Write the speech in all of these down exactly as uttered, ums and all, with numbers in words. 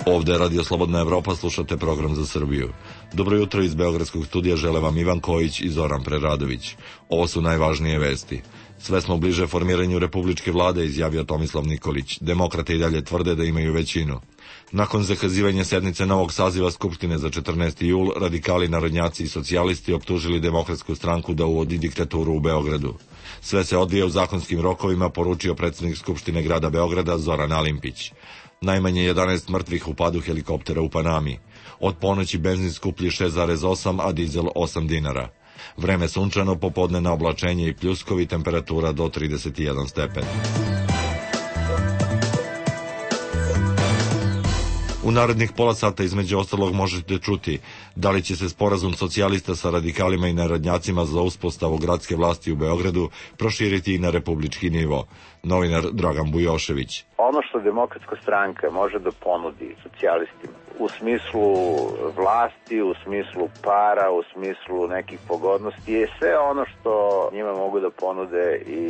Ovde je Radio Slobodna Evropa, slušate program za Srbiju. Dobro jutro iz Beogradskog studija žele vam Ivan Kojić i Zoran Preradović. Ovo su najvažnije vesti. Sve smo bliže formiranju republičke vlade, izjavio Tomislav Nikolić. Demokrate i dalje tvrde da imaju većinu. Nakon zakazivanja sednice novog saziva Skupštine za četrnaesti jul, radikali, narodnjaci i socijalisti optužili Demokratsku stranku da uvodi diktaturu u Beogradu. Sve se odvija u zakonskim rokovima, poručio predsjednik Skupštine grada Beograda Zoran Alimpić. Najmanje jedanaest mrtvih u padu helikoptera u Panami. Od ponoći benzin skuplji šest zarez osam, a dizel osam dinara. Vreme sunčano, popodnevno oblačenje i pljuskovi, temperatura do trideset jedan stepen. U narednih pola sata između ostalog možete čuti da li će se sporazum socijalista sa radikalima i narodnjacima za uspostavu gradske vlasti u Beogradu proširiti i na republički nivo. Novinar Dragan Bujošević. Ono što Demokratska stranka može da ponudi socijalistima u smislu vlasti, u smislu para, u smislu nekih pogodnosti je sve ono što njima mogu da ponude i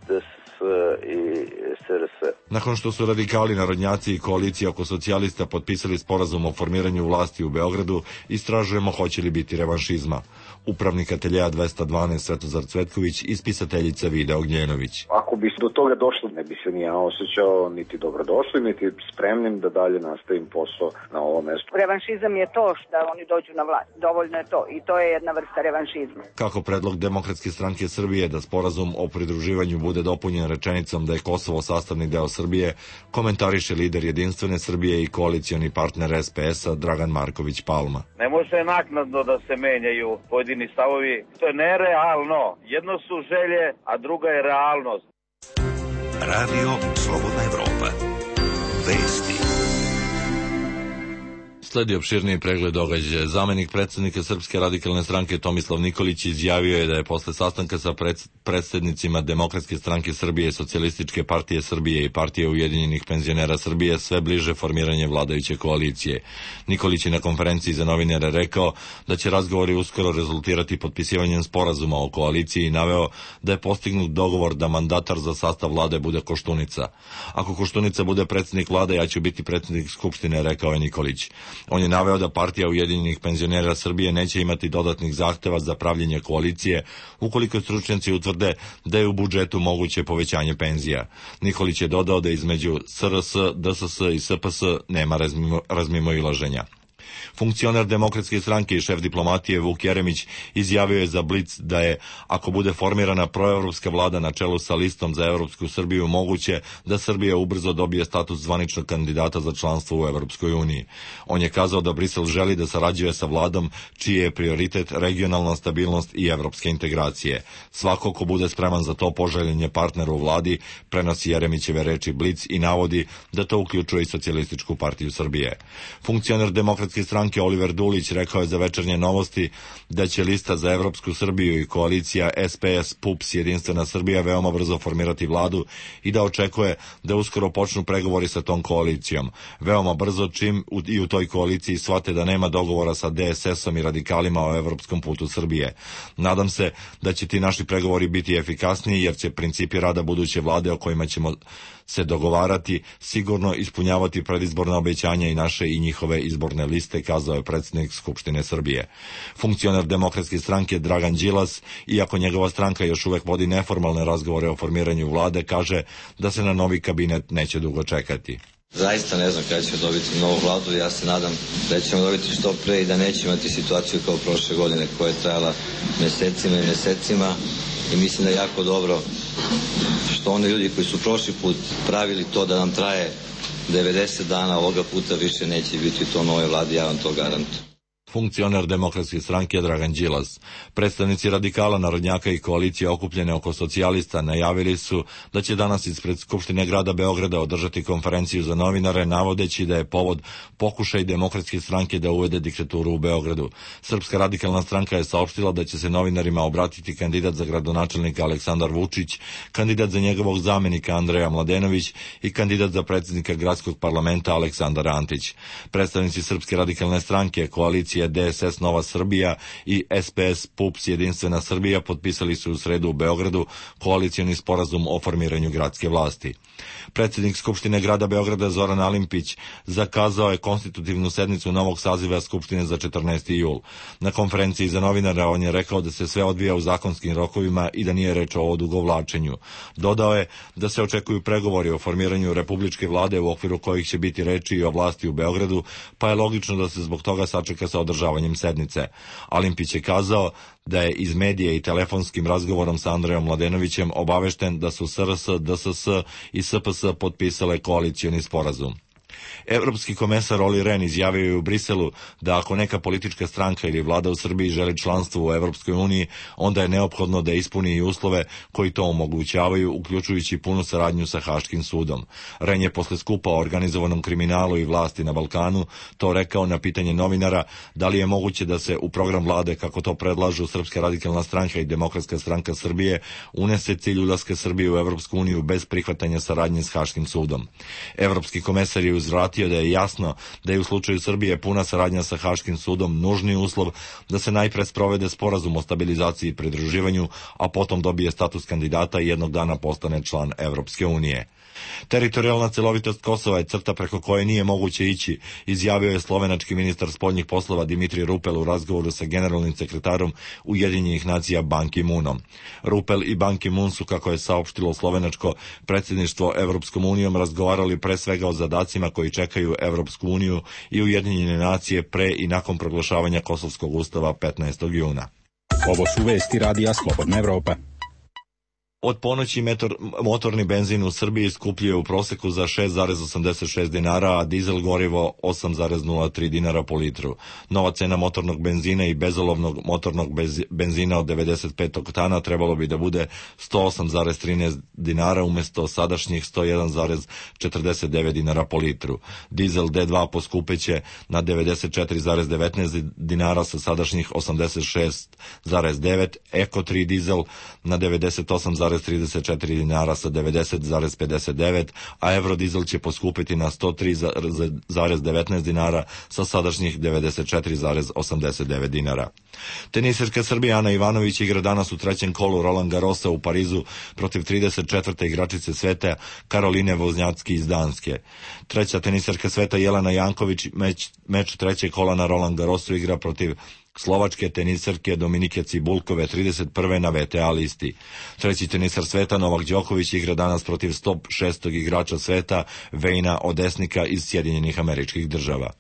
D S S i S R S. Nakon što su radikali, narodnjaci i koalicija oko socijalista potpisali sporazum o formiranju vlasti u Beogradu, istražujemo hoće li biti revanšizma. Upravnik ateljeja dvesta dvanaest Svetozar Cvetković i spisateljica Vida Ognjenović. Ako bi do toga došlo, ne bi se ni ja osjećao niti dobrodošli, niti spremnim da dalje nastavim posao na ovom mestu. Revanšizam je to da oni dođu na vlast. Dovoljno je to i to je jedna vrsta revanšizma. Kako predlog Demokratske stranke Srbije da sporazum o pridruživanju bude dopunjen rečenicom da je Kosovo sastavni deo Srbije, komentariše lider Jedinstvene Srbije i koalicioni partner S P S-a Dragan Marković Palma. Ne može naknadno da se menjaju pojedini stavovi. To je nerealno. Jedno su želje, a druga je realnost. Radio Slobodna Evropa. Vesti. Sledi opširniji pregled događaja. Zamenik predsjednika Srpske radikalne stranke Tomislav Nikolić izjavio je da je posle sastanka sa predsjednicima Demokratske stranke Srbije, Socijalističke partije Srbije i Partije Ujedinjenih penzionera Srbije sve bliže formiranje vladajuće koalicije. Nikolić je na konferenciji za novinare rekao da će razgovori uskoro rezultirati potpisivanjem sporazuma o koaliciji i naveo da je postignut dogovor da mandatar za sastav vlade bude Koštunica. Ako Koštunica bude predsjednik vlade, ja ću biti predsjednik Skupštine, rekao je Nikolić. On je naveo da Partija Ujedinjenih penzionera Srbije neće imati dodatnih zahteva za pravljenje koalicije ukoliko stručnjaci utvrde da je u budžetu moguće povećanje penzija. Nikolić je dodao da između S R S, D S S i S P S nema razmimo, razmimoilaženja. Funkcioner Demokratske stranke i šef diplomatije Vuk Jeremić izjavio je za Blic da je, ako bude formirana proevropska vlada na čelu sa listom za Evropsku Srbiju, moguće da Srbija ubrzo dobije status zvaničnog kandidata za članstvo u Evropskoj uniji. On je kazao da Brisel želi da sarađuje sa vladom čiji je prioritet regionalna stabilnost i evropske integracije. Svako ko bude spreman za to poželjen je partner u vladi, prenosi Jeremićeve reči Blic i navodi da to uključuje i Socijalističku partiju Srbije. Funkcioner Demokratske stranke Oliver Dulić rekao je za Večernje novosti da će lista za Evropsku Srbiju i koalicija S P S, P U P S, Jedinstvena Srbija veoma brzo formirati vladu i da očekuje da uskoro počnu pregovori sa tom koalicijom. Veoma brzo, čim i u toj koaliciji shvate da nema dogovora sa D S S-om i radikalima o evropskom putu Srbije. Nadam se da će ti naši pregovori biti efikasniji jer će principi rada buduće vlade o kojima ćemo se dogovarati sigurno ispunjavati predizborna obećanja i naše i njihove izborne liste, kazao je predsjednik Skupštine Srbije. Funkcioner Demokratske stranke Dragan Đilas, iako njegova stranka još uvek vodi neformalne razgovore o formiranju vlade, kaže da se na novi kabinet neće dugo čekati. Zaista ne znam kada ćemo dobiti novu vladu, ja se nadam da ćemo dobiti što pre i da nećemo imati situaciju kao prošle godine koja je trajala mesecima i mesecima i mislim da je jako dobro što oni ljudi koji su prošli put pravili to da nam traje devedeset dana, ovoga puta više neće biti to nove vlade, ja vam to garantujem. Funkcioner Demokratske stranke Dragan Đilas. Predstavnici radikala, narodnjaka i koalicije okupljene oko socijalista najavili su da će danas ispred Skupštine grada Beograda održati konferenciju za novinare, navodeći da je povod pokušaj Demokratske stranke da uvede diktaturu u Beogradu. Srpska radikalna stranka je saopštila da će se novinarima obratiti kandidat za gradonačelnika Aleksandar Vučić, kandidat za njegovog zamenika Andreja Mladenović i kandidat za predsjednika gradskog parlamenta Aleksandar Antić. Predstavnici Srpske radikalne stranke, koalicije koalicija D S S Nova Srbija i S P S P U P S Jedinstvena Srbija potpisali su u sredu u Beogradu koalicioni sporazum o formiranju gradske vlasti. Predsjednik Skupštine grada Beograda Zoran Alimpić zakazao je konstitutivnu sednicu novog saziva Skupštine za četrnaesti jul. Na konferenciji za novinara on je rekao da se sve odvija u zakonskim rokovima i da nije reč o odugovlačenju. Dodao je da se očekuju pregovori o formiranju republičke vlade u okviru kojih će biti reči i o vlasti u Beogradu, pa je logično da se zbog toga sačeka sa održavanjem sednice. Alimpić je kazao da je iz medija i telefonskim razgovorom sa Andrejom Mladenovićem obavešten da su S R S, D S S i S P S potpisale koalicioni sporazum. Evropski komesar Olli Rehn izjavio je u Briselu da ako neka politička stranka ili vlada u Srbiji želi članstvo u Evropskoj uniji, onda je neophodno da ispuni i uslove koji to omogućavaju, uključujući punu saradnju sa Haškim sudom. Rehn je posle skupa o organizovanom kriminalu i vlasti na Balkanu to rekao na pitanje novinara da li je moguće da se u program vlade, kako to predlažu Srpska radikalna stranka i Demokratska stranka Srbije, unese cilj ulaska Srbije u Evropsku uniju bez prihvatanja saradnje s Haškim sudom. Evropski komesar je uzvratio da je jasno da je u slučaju Srbije puna saradnja sa Haškim sudom nužni uslov da se najpre sprovede sporazum o stabilizaciji i pridruživanju, a potom dobije status kandidata i jednog dana postane član Evropske unije. Teritorijalna celovitost Kosova je crta preko koje nije moguće ići, izjavio je slovenački ministar spoljnih poslova Dimitrij Rupel u razgovoru sa generalnim sekretarom Ujedinjenih nacija Ban Ki-moonom. Rupel i Ban Ki-moon su, kako je saopštilo slovenačko predsjedništvo Evropskom unijom, razgovarali pre svega o zadacima koji čekaju Evropsku uniju i Ujedinjene nacije pre i nakon proglašavanja Kosovskog ustava petnaestog juna. Ovo su vesti radija Slobodna Evropa. Od ponoći metor, motorni benzin u Srbiji skupljuje u proseku za šest zarez osamdeset šest dinara, a dizel gorivo osam zarez nula tri dinara po litru. Nova cena motornog benzina i bezolovnog motornog bez, benzina od devedeset pet oktana trebalo bi da bude sto osam zarez trinaest dinara umjesto sadašnjih sto jedan zarez četrdeset devet dinara po litru. Dizel D dva poskupeće na devedeset četiri zarez devetnaest dinara sa sadašnjih osamdeset šest zarez devet, Eko tri dizel na devedeset osam zarez trideset četiri dinara sa devedeset zarez pedeset devet, a Eurodizel će poskupiti na sto tri zarez devetnaest dinara sa sadašnjih devedeset četiri zarez osamdeset devet dinara. Tenisirka Srbije Ana Ivanović igra danas u trećem kolu Roland Garrosa u Parizu protiv trideset četvrte igračice sveta Karoline Voznjacki iz Danske. Treća tenisirka sveta Jelena Janković meč, meč trećeg kola na Roland Garrosu igra protiv slovačke tenisarke Dominike Cibulkove trideset prve na V T A listi. Treći tenisar sveta Novak Đoković igra danas protiv sto šestog igrača sveta Vejna Odesnika iz Sjedinjenih Američkih Država.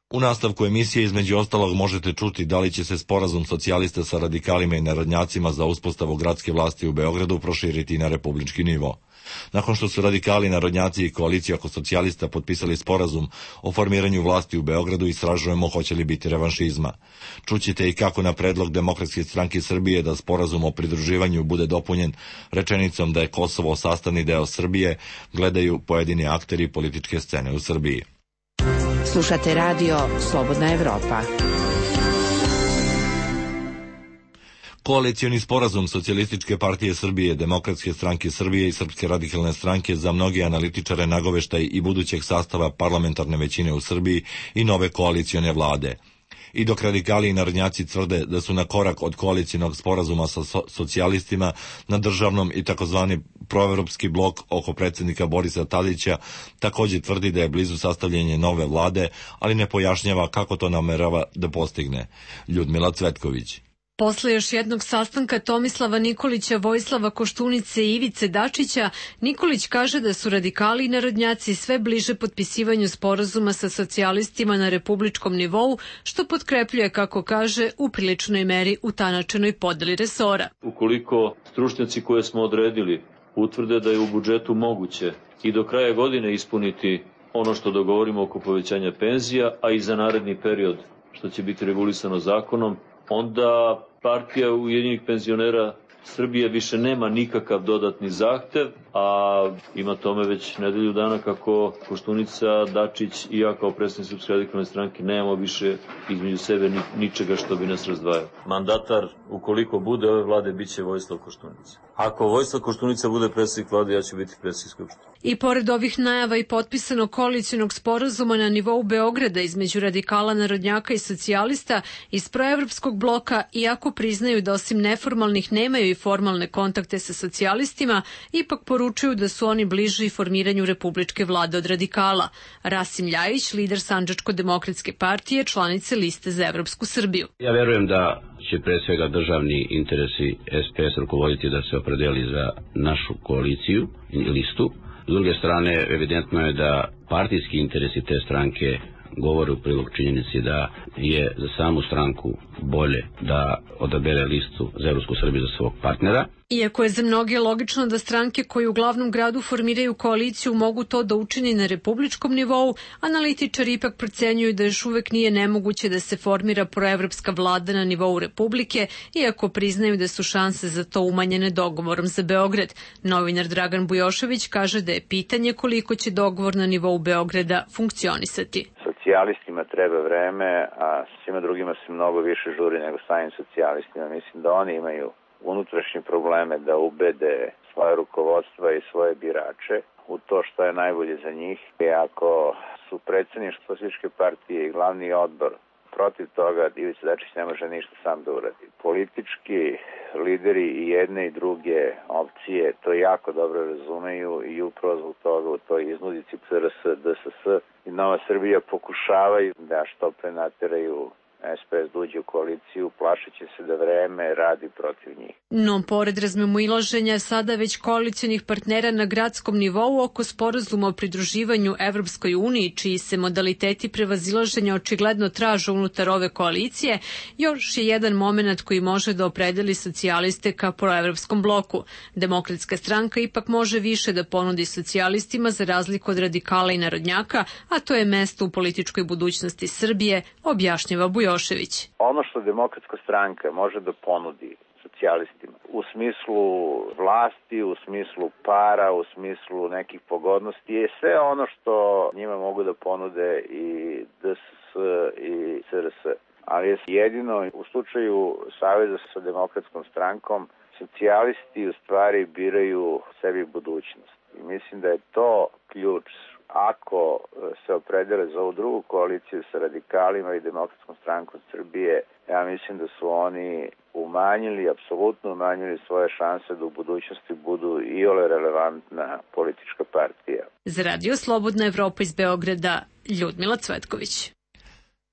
U nastavku emisije između ostalog možete čuti da li će se sporazum socijalista sa radikalima i narodnjacima za uspostavu gradske vlasti u Beogradu proširiti na republički nivo. Nakon što su radikali, narodnjaci i koalicija oko socijalista potpisali sporazum o formiranju vlasti u Beogradu, istražujemo hoće li biti revanšizma. Čućete i kako na predlog Demokratske stranke Srbije da sporazum o pridruživanju bude dopunjen rečenicom da je Kosovo sastavni deo Srbije, gledaju pojedini akteri političke scene u Srbiji. Slušate radio Slobodna Evropa. Koalicioni sporazum Socijalističke partije Srbije, Demokratske stranke Srbije i Srpske radikalne stranke za mnogi analitičare nagoveštaj i budućeg sastava parlamentarne većine u Srbiji i nove koalicione vlade. I dok radikali i narodnjaci tvrde da su na korak od koalicijonog sporazuma sa so- socijalistima na državnom i takozvani proevropski blok oko predsjednika Borisa Tadića također tvrdi da je blizu sastavljanje nove vlade, ali ne pojašnjava kako to namerava da postigne. Ljudmila Cvetković. Posle još jednog sastanka Tomislava Nikolića, Vojislava Koštunice i Ivice Dačića, Nikolić kaže da su radikali i narodnjaci sve bliže potpisivanju sporazuma sa socijalistima na republičkom nivou, što potkrepljuje, kako kaže, u priličnoj meri utanačenoj podeli resora. Ukoliko stručnjaci koje smo odredili utvrde da je u budžetu moguće i do kraja godine ispuniti ono što dogovorimo oko povećanja penzija, a i za naredni period što će biti regulisano zakonom, onda partija Ujedinjenih penzionera Srbije više nema nikakav dodatni zahtev, a ima tome već nedelju dana kako Koštunica, Dačić i ja kao predstavnik Srpske radikalne stranke nemamo više između sebe ničega što bi nas razdvajalo. Mandatar, ukoliko bude ove vlade, bit će Vojislav Koštunica. Ako Vojislav Koštunica bude predsjednik vlade, ja ću biti predsjednik Skupštine. I pored ovih najava i potpisanog koalicionog sporazuma na nivou Beograda između radikala, narodnjaka i socijalista iz proevropskog bloka, iako priznaju da osim neformalnih nemaju i formalne kontakte sa socijalistima, ipak poručuju da su oni bliži formiranju republičke vlade od radikala. Rasim Ljajić, lider Sandžačko-demokratske partije, članice liste za Evropsku Srbiju. Ja verujem da će pre svega državni interesi S P S rukovoditi da se opredeli za našu koaliciju i listu. S druge strane, evidentno je da partijski interesi te stranke govore u prilog činjenici da je za samu stranku bolje da odabere listu za Evropsku Srbiju za svog partnera. Iako je za mnoge logično da stranke koje u glavnom gradu formiraju koaliciju mogu to da učini na republičkom nivou, analitičari ipak procenjuju da još uvek nije nemoguće da se formira proevropska vlada na nivou Republike, iako priznaju da su šanse za to umanjene dogovorom za Beograd. Novinar Dragan Bujošević kaže da je pitanje koliko će dogovor na nivou Beograda funkcionisati. Socijalistima treba vreme, a svima drugima se mnogo više žuri nego samim socijalistima. Mislim da oni imaju unutrašnje probleme da ubede svoje rukovodstva i svoje birače u to što je najbolje za njih. I ako su predsjedništvo Socijalističke partije i glavni odbor protiv toga, Ivica Dačić ne može ništa sam da uradi. Politički lideri i jedne i druge opcije to jako dobro razumeju i upravo zbog toga u toj iznudici C R S, D S S i Nova Srbija pokušavaju da što pre nateraju S P S dođe u koaliciju, plašeći se da vreme radi protiv njih. No, pored razmimoilaženja sada već koalicionih partnera na gradskom nivou oko sporazuma o pridruživanju Evropskoj uniji, čiji se modaliteti prevazilaženja očigledno traže unutar ove koalicije, još je jedan moment koji može da opredeli socijaliste ka proevropskom bloku. Demokratska stranka ipak može više da ponudi socijalistima za razliku od radikala i narodnjaka, a to je mesto u političkoj budućnosti Srbije, objašnjava Bujošević. Ono što Demokratska stranka može da ponudi socijalistima u smislu vlasti, u smislu para, u smislu nekih pogodnosti je sve ono što njima mogu da ponude i D S S i C R S. Ali je jedino u slučaju saveza sa Demokratskom strankom socijalisti u stvari biraju sebi budućnost. I mislim da je to ključ. Ako se opredele za ovu drugu koaliciju sa radikalima i Demokratskom strankom Srbije, ja mislim da su oni umanjili, apsolutno umanjili svoje šanse da u budućnosti budu iole relevantna politička partija. Za Radio Slobodna Evropa iz Beograda, Ljudmila Cvetković.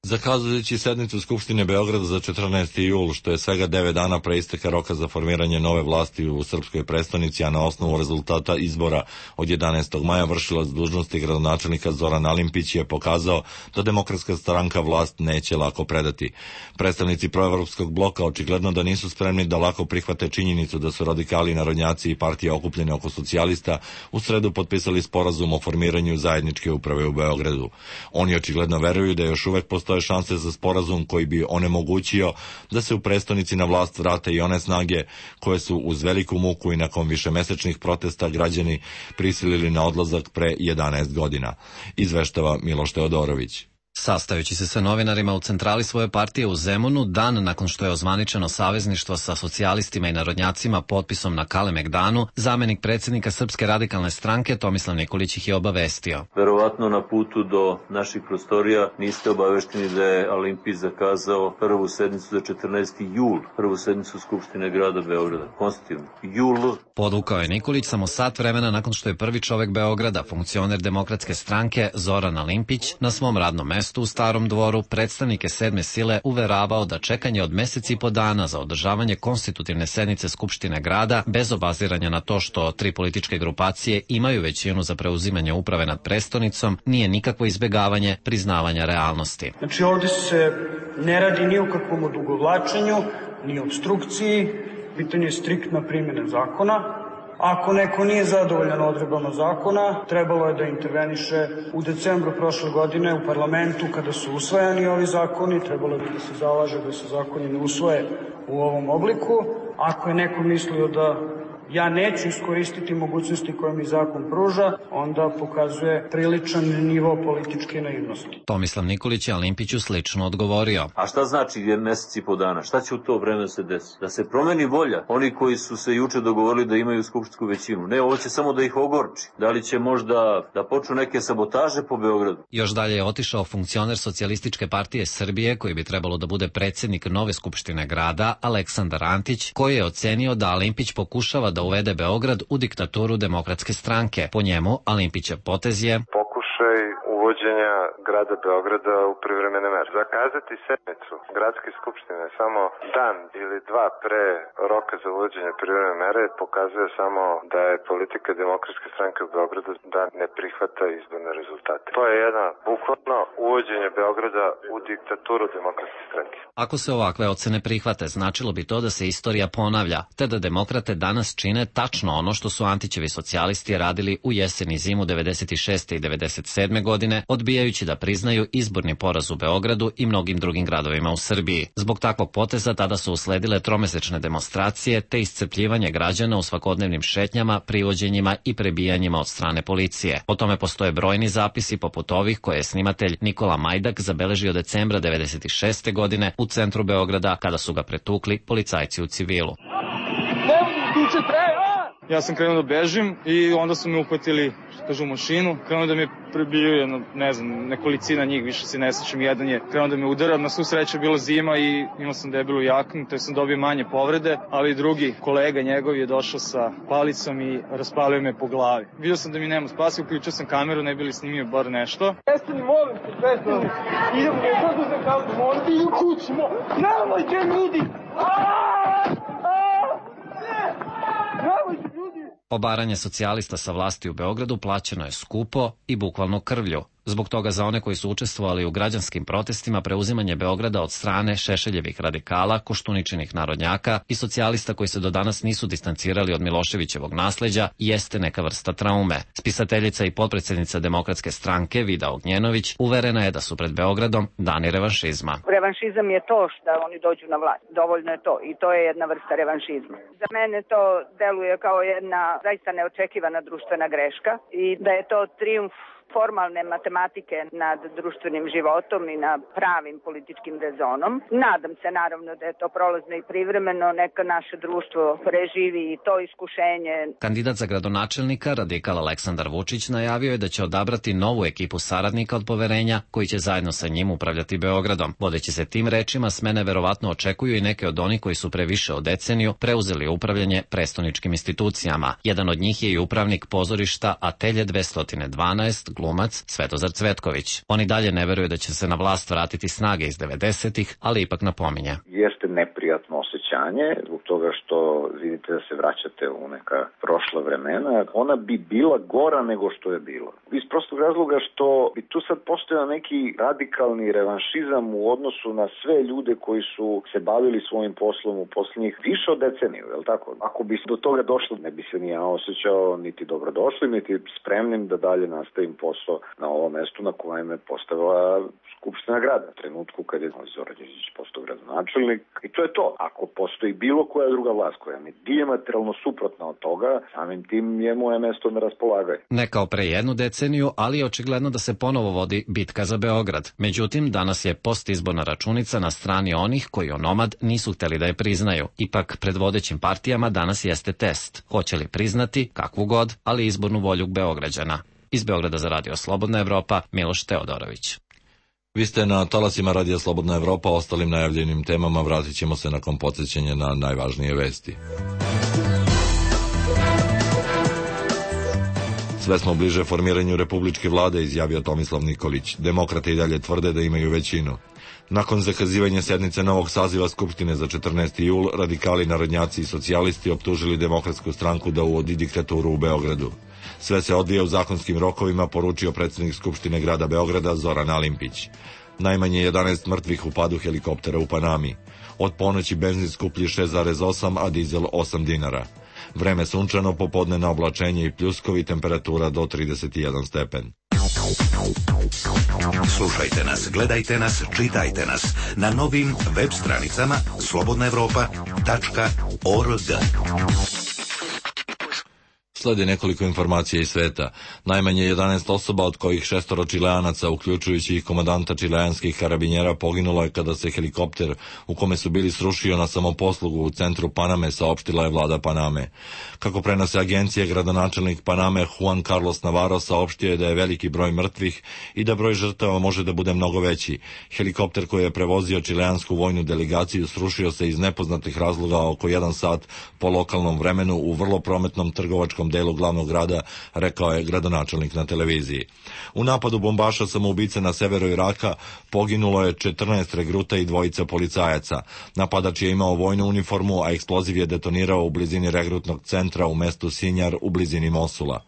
Zakazujući sednicu Skupštine Beograda za četrnaesti jul, što je svega devet dana pre isteka roka za formiranje nove vlasti u srpskoj prestonici, a na osnovu rezultata izbora od jedanaestog maja vršilac dužnosti gradonačelnika Zoran Alimpić je pokazao da Demokratska stranka vlast neće lako predati. Predstavnici proevropskog bloka očigledno da nisu spremni da lako prihvate činjenicu da su radikali, narodnjaci i partije okupljene oko socijalista u sredu potpisali sporazum o formiranju zajedničke uprave u Beogradu. Oni očigledno veruju da još uvek postoje postoje šanse za sporazum koji bi onemogućio da se u prestonici na vlast vrate i one snage koje su uz veliku muku i nakon višemesečnih protesta građani prisilili na odlazak pre jedanaest godina, izveštava Miloš Teodorović. Sastajući se sa novinarima u centrali svoje partije u Zemunu, dan nakon što je ozvaničeno savezništvo sa socijalistima i narodnjacima potpisom na Kalemegdanu, zamenik predsjednika Srpske radikalne stranke Tomislav Nikolić ih je obavestio. Verovatno na putu do naših prostorija niste obavešteni da je Alimpić zakazao prvu sednicu za četrnaesti jul, prvu sednicu Skupštine grada Beograda. Konstitutivno. Jul. Podvukao je Nikolić samo sat vremena nakon što je prvi čovek Beograda, funkcioner Demokratske stranke Zoran Alimpić, na svom radnom mestu u Starom dvoru predstavnike sedme sile uveravao da čekanje od meseci i po dana za održavanje konstitutivne sednice Skupštine grada, bez obaziranja na to što tri političke grupacije imaju većinu za preuzimanje uprave nad prestonicom, nije nikakvo izbegavanje priznavanja realnosti. Znači ovdje se ne radi ni o kakvom odugovlačenju, ni obstrukciji, pitanje je striktna primjena zakona. Ako neko nije zadovoljan odredbama zakona, trebalo je da interveniše u decembru prošle godine u parlamentu kada su usvajani ovi zakoni, trebalo je da se zalaže da se zakoni ne usvoje u ovom obliku. Ako je neko mislio da ja neću iskoristiti mogućnosti koje mi zakon pruža, onda pokazuje priličan nivo političke naivnosti. Tomislav Nikolić je Alimpiću slično odgovorio. A šta znači je mesec i po dana? Šta će u to vreme se desiti? Da se promeni volja oni koji su se juče dogovorili da imaju skupštinsku većinu. Ne, ovo će samo da ih ogorči. Da li će možda da počnu neke sabotaže po Beogradu? Još dalje je otišao funkcioner Socijalističke partije Srbije, koji bi trebalo da bude predsjednik nove skupštine grada, Aleksandar Antić, koji je ocenio da Alimpić pokušava da uvede Beograd u diktaturu Demokratske stranke. Po njemu, Alimpićev potez je pokušaj uvođenja grada Beograda u privremene mere. Zakazati sednicu gradske skupštine samo dan ili dva pre roka za uvođenje privremene mere pokazuje samo da je politika Demokratske stranke u Beogradu da ne prihvata izborne rezultate. To je jedna bukvalno uvođenje Beograda u diktaturu Demokratske stranke. Ako se ovakve ocene prihvate, značilo bi to da se istorija ponavlja, te da demokrate danas čine tačno ono što su Antićevi socijalisti radili u jesen i zimu devedeset šeste i devedeset sedme godine, odbijajući da priznaju izborni poraz u Beogradu i mnogim drugim gradovima u Srbiji. Zbog takvog poteza tada su usledile tromesečne demonstracije te iscrpljivanje građana u svakodnevnim šetnjama, privođenjima i prebijanjima od strane policije. O tome postoje brojni zapisi poput ovih koje je snimatelj Nikola Majdak zabeležio decembra devedeset šeste godine u centru Beograda kada su ga pretukli policajci u civilu. Ja sam krenuo da bežim i onda su me uhvatili, što kažu, u mašinu. Krenuo da me prebiju jedno, ne znam, nekolicina njih, više se ne sećam. Jedan je krenuo da me udara, na svu sreću je bila zima i imao sam debelu jaknu, te sam dobio manje povrede, ali drugi kolega njegov je došao sa palicom i raspalio me po glavi. Vidio sam da mi nema spasi, uključio sam kameru, ne bi li snimio bar nešto. Prestani, molim se, prestani. Idemo, kako se kao, molim ti, u kući, molim. Nemojte, ljudi! Obaranje socijalista sa vlasti u Beogradu plaćeno je skupo i bukvalno krvlju. Zbog toga za one koji su učestvovali u građanskim protestima preuzimanje Beograda od strane Šešeljevih radikala, Koštuničinih narodnjaka i socijalista koji se do danas nisu distancirali od Miloševićevog nasleđa jeste neka vrsta traume. Spisateljica i potpredsjednica Demokratske stranke Vida Ognjenović uverena je da su pred Beogradom dani revanšizma. Revanšizam je to što oni dođu na vlast. Dovoljno je to i to je jedna vrsta revanšizma. Za mene to deluje kao jedna zaista neočekivana društvena greška i da je to trijumf formalne matematike nad društvenim životom i na pravim političkim rezonom. Nadam se naravno da je to prolazno i privremeno, neka naše društvo preživi i to iskušenje. Kandidat za gradonačelnika, radikal Aleksandar Vučić, najavio je da će odabrati novu ekipu saradnika od poverenja koji će zajedno sa njim upravljati Beogradom. Vodeći se tim rečima, smene verovatno očekuju i neke od onih koji su pre više od deceniju preuzeli upravljanje prestoničkim institucijama. Jedan od njih je i upravnik pozorišta Atelje dvesta dvanaest, glumac Svetozar Cvetković. Oni dalje ne veruju da će se na vlast vratiti snage iz devedesetih, ali ipak napominje. Jeste neprijatno osjećanje zbog toga što vidite da se vraćate u neka prošla vremena. Ona bi bila gora nego što je bila. Iz prostog razloga što bi tu sad postojao neki radikalni revanšizam u odnosu na sve ljude koji su se bavili svojim poslom u posljednjih više od deceniju, je li tako? Ako bi do toga došlo, ne bi se ni ja osjećao niti dobrodošli, niti spremnim da dalje nastavim posao na ovom mestu na kojem je postavila Skupština grada. U trenutku kad je Zoran Đinđić postao gradonačelnik. I to je to. Ako postoji bilo koja druga vlast koja je dijametralno suprotna od toga, samim tim je moje mesto na raspolaganju. Ne kao pre jednu deceniju, ali je očigledno da se ponovo vodi bitka za Beograd. Međutim, danas je postizborna računica na strani onih koji onomad nisu hteli da je priznaju. Ipak, pred vodećim partijama danas jeste test. Hoće li priznati, kakvu god, ali izbornu volju Beograđana. Iz Beograda za Radio Slobodna Evropa, Miloš Teodorović. Vi ste na talasima Radija Slobodna Evropa, ostalim najavljenim temama vratit ćemo se nakon podsjećanja na najvažnije vesti. Sve smo bliže formiranju republičke vlade, izjavio Tomislav Nikolić. Demokrate i dalje tvrde da imaju većinu. Nakon zakazivanja sednice novog saziva Skupštine za četrnaesti jul, radikali, narodnjaci i socijalisti optužili Demokratsku stranku da uvodi diktaturu u Beogradu. Sve se odvija u zakonskim rokovima, poručio predsjednik Skupštine grada Beograda Zoran Alimpić. Najmanje jedanaest mrtvih u padu helikoptera u Panami. Od ponoći benzin skuplji šest zarez osam, a dizel osam dinara. Vreme sunčano, popodnevno oblačenje i pljuskovi, temperatura do trideset jedan stepen. Slušajte nas, gledajte nas, čitajte nas na novim web stranicama slobodna evropa tačka org. Slede nekoliko informacija iz sveta. Najmanje jedanaest osoba, od kojih šestoro Čileanaca, uključujući i komandanta čileanskih karabinjera, poginulo je kada se helikopter u kome su bili srušio na samoposlugu u centru Paname, saopštila je vlada Paname. Kako prenose agencije, gradonačelnik Paname Juan Carlos Navarro saopštio je da je veliki broj mrtvih i da broj žrtava može da bude mnogo veći. Helikopter koji je prevozio čileansku vojnu delegaciju srušio se iz nepoznatih razloga oko jedan sat po lokalnom vremenu u vrlo prometnom trgovačkom delu glavnog grada, rekao je gradonačelnik na televiziji. U napadu bombaša samoubice na severu Iraka poginulo je četrnaest regruta i dvojica policajaca. Napadač je imao vojnu uniformu, a eksploziv je detonirao u blizini regrutnog centra u mestu Sinjar u blizini Mosula.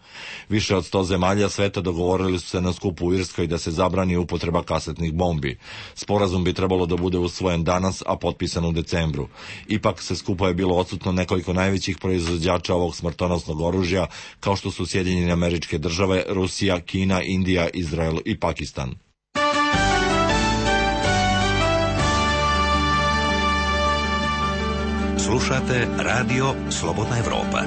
Više od sto zemalja sveta dogovorili su se na skupu u Irskoj da se zabrani upotreba kasetnih bombi. Sporazum bi trebalo da bude usvojen danas, a potpisan u decembru. Ipak se skupa je bilo odsutno nekoliko najvećih proizvođača ovog smrtonosnog oružja, kao što su Sjedinjene Američke Države, Rusija, Kina, Indija, Izrael i Pakistan. Slušate Radio Slobodna Evropa.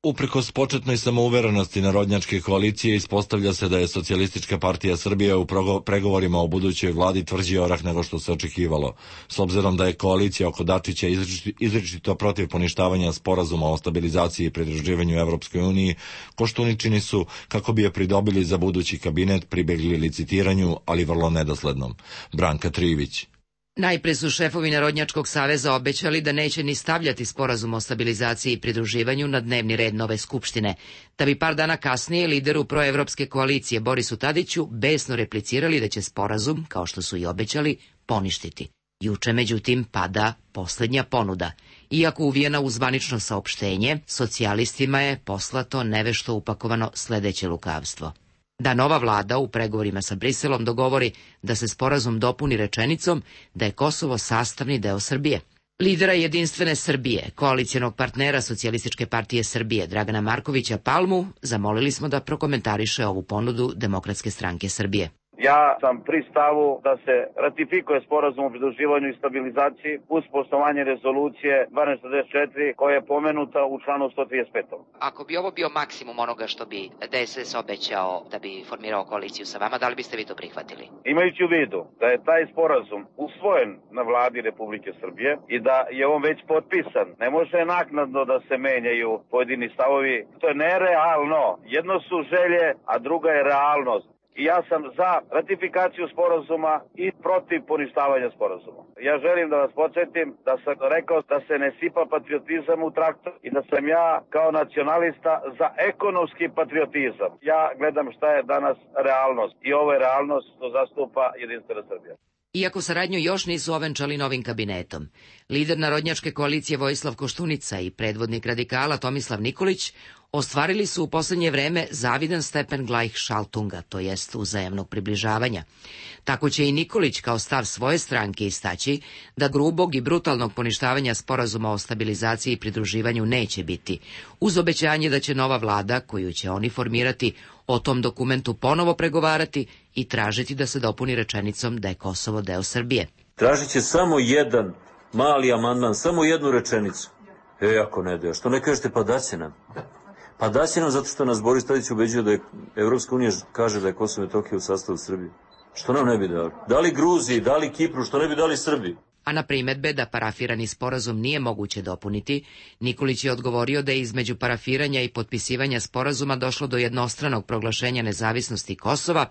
Uprkos početnoj samouverenosti narodnjačke koalicije, ispostavlja se da je Socijalistička partija Srbije u pregovorima o budućoj vladi tvrđi orah nego što se očekivalo. S obzirom da je koalicija oko Dačića izričito protiv poništavanja sporazuma o stabilizaciji i pridruživanju Evropskoj uniji, Koštuničini su, kako bi je pridobili za budući kabinet, pribegli licitiranju, ali vrlo nedoslednom. Branka Trivić. Najpre su šefovi Narodnjačkog saveza obećali da neće ni stavljati sporazum o stabilizaciji i pridruživanju na dnevni red nove skupštine, da bi par dana kasnije lideru proevropske koalicije Borisu Tadiću besno replicirali da će sporazum, kao što su i obećali, poništiti. Juče, međutim, pada poslednja ponuda. Iako uvijena u zvanično saopštenje, socijalistima je poslato nevešto upakovano sledeće lukavstvo. Da nova vlada u pregovorima sa Briselom dogovori da se sporazum dopuni rečenicom da je Kosovo sastavni deo Srbije. Lidera Jedinstvene Srbije, koalicijonog partnera Socijalističke partije Srbije Dragana Markovića Palmu, zamolili smo da prokomentariše ovu ponudu Demokratske stranke Srbije. Ja sam pri stavu da se ratifikuje sporazum o pridruživanju i stabilizaciji uz poštovanje rezolucije dvanaest šezdeset četiri koja je pomenuta u članu sto trideset pet. Ako bi ovo bio maksimum onoga što bi D S S obećao da bi formirao koaliciju sa vama, da li biste vi to prihvatili? Imajući u vidu da je taj sporazum usvojen na vladi Republike Srbije i da je on već potpisan, ne može naknadno da se menjaju pojedini stavovi. To je nerealno. Jedno su želje, a druga je realnost. I ja sam za ratifikaciju sporazuma i protiv poništavanja sporazuma. Ja želim da vas podsjetim da sam rekao da se ne sipa patriotizam u traktor i da sam ja kao nacionalista za ekonomski patriotizam. Ja gledam šta je danas realnost i ovo je realnost što zastupa Jedinstvena Srbija. Iako saradnju još nisu ovenčali novim kabinetom, lider Narodnjačke koalicije Vojislav Koštunica i predvodnik radikala Tomislav Nikolić ostvarili su u poslednje vreme zavidan stepen Gleichschaltunga, to jest uzajamnog približavanja. Tako će i Nikolić kao stav svoje stranke istaći da grubog i brutalnog poništavanja sporazuma o stabilizaciji i pridruživanju neće biti, uz obećanje da će nova vlada, koju će oni formirati, o tom dokumentu ponovo pregovarati i tražiti da se dopuni rečenicom da je Kosovo deo Srbije. Tražit će samo jedan mali amandman, samo jednu rečenicu. E, ako ne deo, što ne kažete, pa da će nam. Pa da će nam zato što nas Boris Tadić ubeđuje da je Evropska unija kaže da je Kosovo i Metohija u sastavu Srbije. Što nam ne bi dali? Da li Gruziji, da li Kipru, što ne bi dali Srbiji? A na primedbe da parafirani sporazum nije moguće dopuniti, Nikolić je odgovorio da je između parafiranja i potpisivanja sporazuma došlo do jednostranog proglašenja nezavisnosti Kosova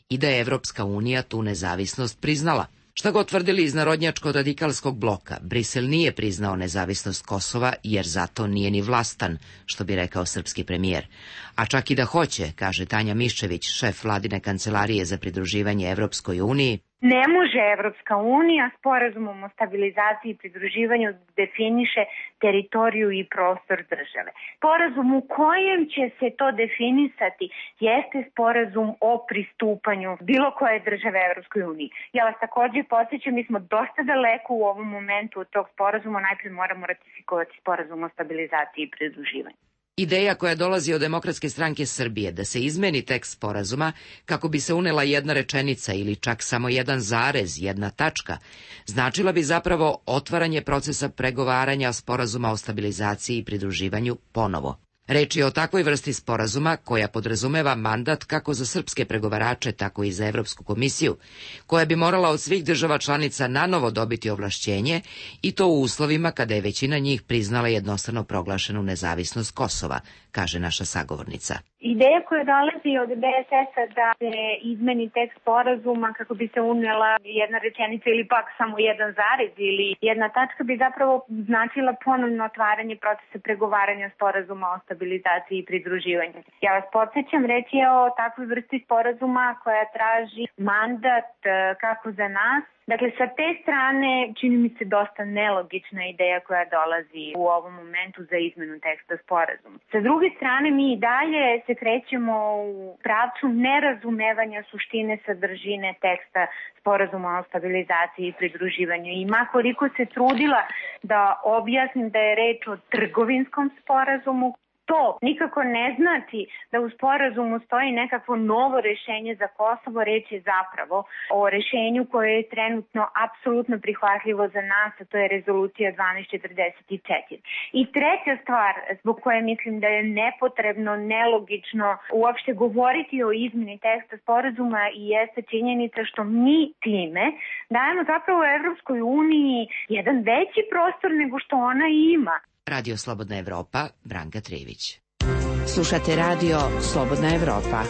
i da je Evropska unija tu nezavisnost priznala. Šta god tvrdili iz narodnjačko-radikalskog bloka, Brisel nije priznao nezavisnost Kosova jer zato nije ni vlastan, što bi rekao srpski premijer. A čak i da hoće, kaže Tanja Miščević, šef vladine kancelarije za pridruživanje Evropskoj uniji, ne može Evropska unija sporazumom o stabilizaciji i pridruživanju definiše teritoriju i prostor države. Sporazum u kojem će se to definisati jeste sporazum o pristupanju bilo koje države Evropskoj uniji. Ja vas takođe podsjećam, mi smo dosta daleko u ovom momentu od tog sporazuma, najprej moramo ratifikovati sporazum o stabilizaciji i pridruživanju. Ideja koja dolazi od Demokratske stranke Srbije da se izmeni tekst sporazuma kako bi se unela jedna rečenica ili čak samo jedan zarez, jedna tačka, značila bi zapravo otvaranje procesa pregovaranja sporazuma o stabilizaciji i pridruživanju ponovo. Reč je o takvoj vrsti sporazuma koja podrazumeva mandat kako za srpske pregovarače, tako i za Evropsku komisiju, koja bi morala od svih država članica nanovo dobiti ovlašćenje i to u uslovima kada je većina njih priznala jednostrano proglašenu nezavisnost Kosova, kaže naša sagovornica. Ideja koja dolazi od D S S-a da se izmeni tekst sporazuma kako bi se unela jedna rečenica ili pak samo jedan zarez ili jedna tačka bi zapravo značila ponovno otvaranje procesa pregovaranja sporazuma o stabilizaciji i pridruživanju. Ja vas podsjećam, reč je o takvoj vrsti sporazuma koja traži mandat kako za nas. Dakle, sa te strane čini mi se dosta nelogična ideja koja dolazi u ovom momentu za izmenu teksta sporazuma. Sa druge strane, mi i dalje se krećemo u pravcu nerazumevanja suštine sadržine teksta sporazuma o stabilizaciji i pridruživanju. I makoliko se trudila da objasnim da je reč o trgovinskom sporazumu, to nikako ne znači da u sporazumu stoji nekakvo novo rešenje za Kosovo, reč je zapravo o rešenju koje je trenutno apsolutno prihvatljivo za nas, a to je rezolucija dvanaest četrdeset četiri. I treća stvar zbog koje mislim da je nepotrebno, nelogično uopšte govoriti o izmeni teksta sporazuma i jeste činjenica što mi time dajemo zapravo Evropskoj uniji jedan veći prostor nego što ona ima. Radio Slobodna Evropa, Branka Trević. Slušate radio Slobodna Evropa.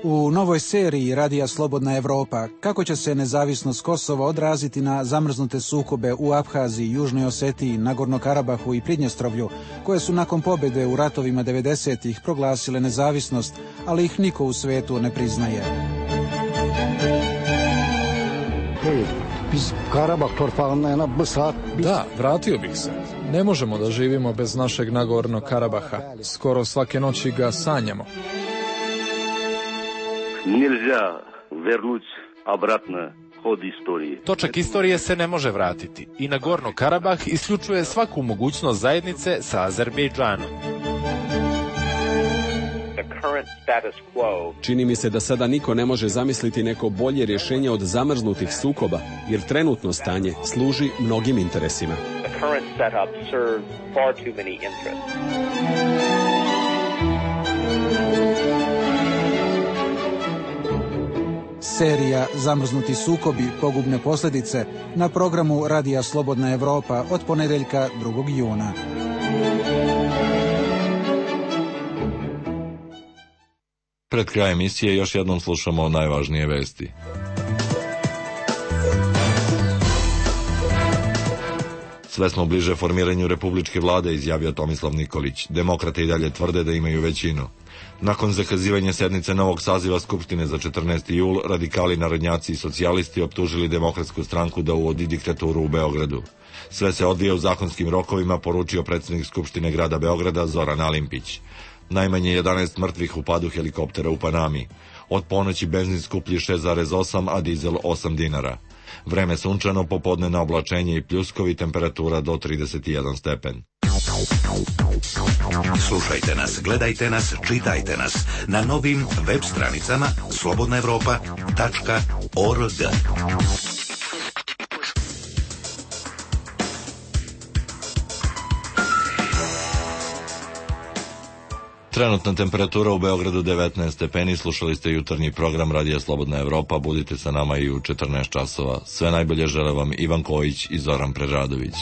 U novoj seriji Radija Slobodna Evropa kako će se nezavisnost Kosova odraziti na zamrznute sukobe u Abhaziji, Južnoj Osetiji, Nagorno-Karabahu i Pridnjestrovlju, koje su nakon pobjede u ratovima devedesetih proglasile nezavisnost, ali ih niko u svetu ne priznaje. Da, vratio bih se. Ne možemo da živimo bez našeg Nagorno Karabaha. Skoro svake noći ga sanjamo. Nельзя вернуть обратно ход истории. Točak istorije se ne može vratiti i Nagorno Karabah isključuje svaku mogućnost zajednice sa Azerbejdžanom. Čini mi se da sada niko ne može zamisliti neko bolje rješenje od zamrznutih sukoba, jer trenutno stanje služi mnogim interesima. Serija Zamrznuti sukobi, pogubne posljedice na programu Radija Slobodna Evropa od ponedeljka drugog juna. Pred krajem emisije još jednom slušamo najvažnije vesti. Sve smo bliže formiranju republičke vlade, izjavio Tomislav Nikolić. Demokrate i dalje tvrde da imaju većinu. Nakon zakazivanja sednice novog saziva Skupštine za četrnaesti jul, radikali, narodnjaci i socijalisti optužili Demokratsku stranku da uvodi diktaturu u Beogradu. Sve se odvija u zakonskim rokovima, poručio predsjednik Skupštine grada Beograda Zoran Alimpić. Najmanje jedanaest mrtvih u padu helikoptera u Panami. Od ponoći benzin skuplji šest zarez osam, a dizel osam dinara. Vreme sunčano, popodne na oblačenje i pljuskovi, temperatura do trideset jedan stepen. Slušajte nas, gledajte nas, čitajte nas na novim web stranicama slobodna evropa tačka org. Trenutna temperatura u Beogradu devetnaest stepeni, slušali ste jutarnji program Radija Slobodna Evropa, budite sa nama i u četrnaest časova. Sve najbolje žele vam Ivan Kojić i Zoran Preradović.